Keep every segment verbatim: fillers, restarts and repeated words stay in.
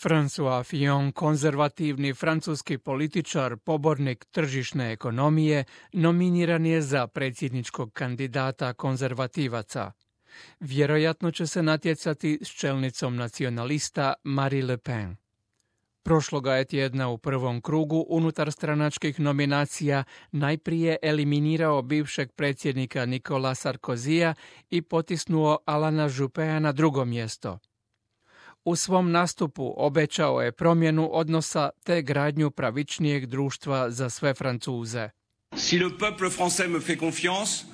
François Fillon, konzervativni francuski političar, pobornik tržišne ekonomije, nominiran je za predsjedničkog kandidata konzervativaca. Vjerojatno će se natjecati s čelnicom nacionalista Marie Le Pen. Prošloga je tjedna u prvom krugu unutar stranačkih nominacija najprije eliminirao bivšeg predsjednika Nicola Sarkozija i potisnuo Alana Juppea na drugo mjesto. U svom nastupu obećao je promjenu odnosa te gradnju pravičnijeg društva za sve Francuze. Si le peuple français me fait confiance,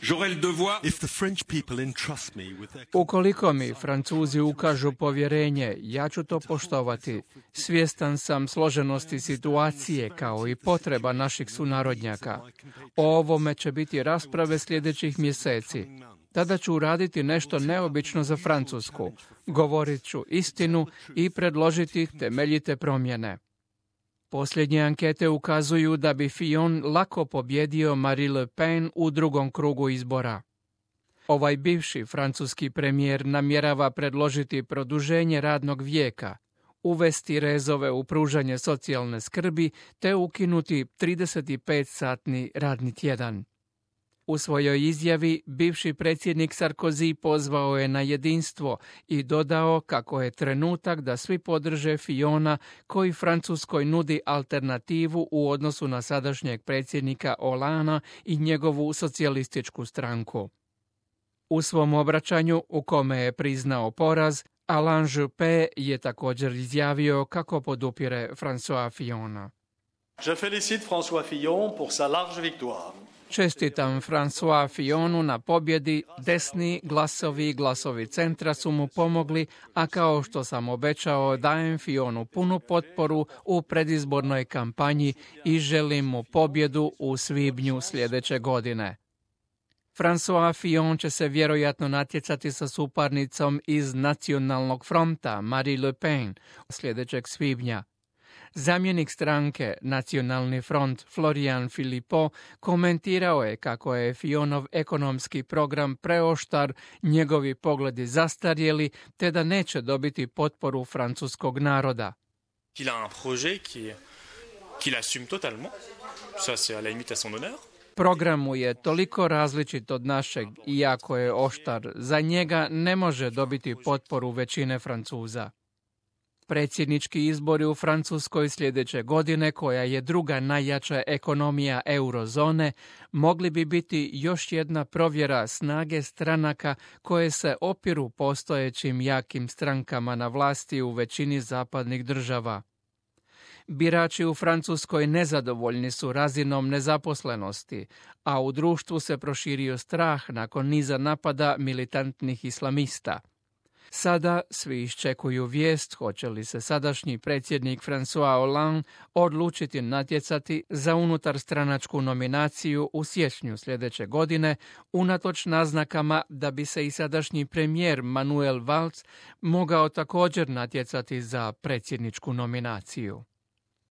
j'aurai le devoir... Ukoliko mi Francuzi ukažu povjerenje, ja ću to poštovati. Svjestan sam složenosti situacije kao i potreba naših sunarodnjaka. O ovome će biti rasprave sljedećih mjeseci. Tada ću uraditi nešto neobično za Francusku. Govorit ću istinu i predložiti temeljite promjene. Posljednje ankete ukazuju da bi Fillon lako pobjedio Marie Le Pen u drugom krugu izbora. Ovaj bivši francuski premijer namjerava predložiti produženje radnog vijeka, uvesti rezove u pružanje socijalne skrbi te ukinuti trideset pet satni radni tjedan. U svojoj izjavi bivši predsjednik Sarkozy pozvao je na jedinstvo i dodao kako je trenutak da svi podrže Fillona koji Francuskoj nudi alternativu u odnosu na sadašnjeg predsjednika Hollandea i njegovu socijalističku stranku. U svom obraćanju, u kome je priznao poraz, Alain Juppé je također izjavio kako podupire François Fillona. Je félicite François Fillon pour sa large victoire. Čestitam François Fillonu na pobjedi, desni glasovi i glasovi centra su mu pomogli, a kao što sam obećao dajem Fillonu punu potporu u predizbornoj kampanji i želim mu pobjedu u svibnju sljedeće godine. François Fillon će se vjerojatno natjecati sa suparnicom iz Nacionalnog fronta Marie Le Pen sljedećeg svibnja. Zamjenik stranke Nacionalni front Florian Philippot komentirao je kako je Fillonov ekonomski program preoštar, njegovi pogledi zastarjeli, te da neće dobiti potporu francuskog naroda. Il a un projet qui qu'il assume totalement. Ça c'est à la limite à son honneur. Program mu je toliko različit od našeg, iako je oštar, za njega ne može dobiti potporu većine Francuza. Predsjednički izbori u Francuskoj sljedeće godine, koja je druga najjača ekonomija eurozone, mogli bi biti još jedna provjera snage stranaka koje se opiru postojećim jakim strankama na vlasti u većini zapadnih država. Birači u Francuskoj nezadovoljni su razinom nezaposlenosti, a u društvu se proširio strah nakon niza napada militantnih islamista. Sada svi iščekuju vijest hoće li se sadašnji predsjednik François Hollande odlučiti natjecati za unutarstranačku nominaciju u siječnju sljedeće godine, unatoč naznakama da bi se i sadašnji premijer Manuel Valls mogao također natjecati za predsjedničku nominaciju.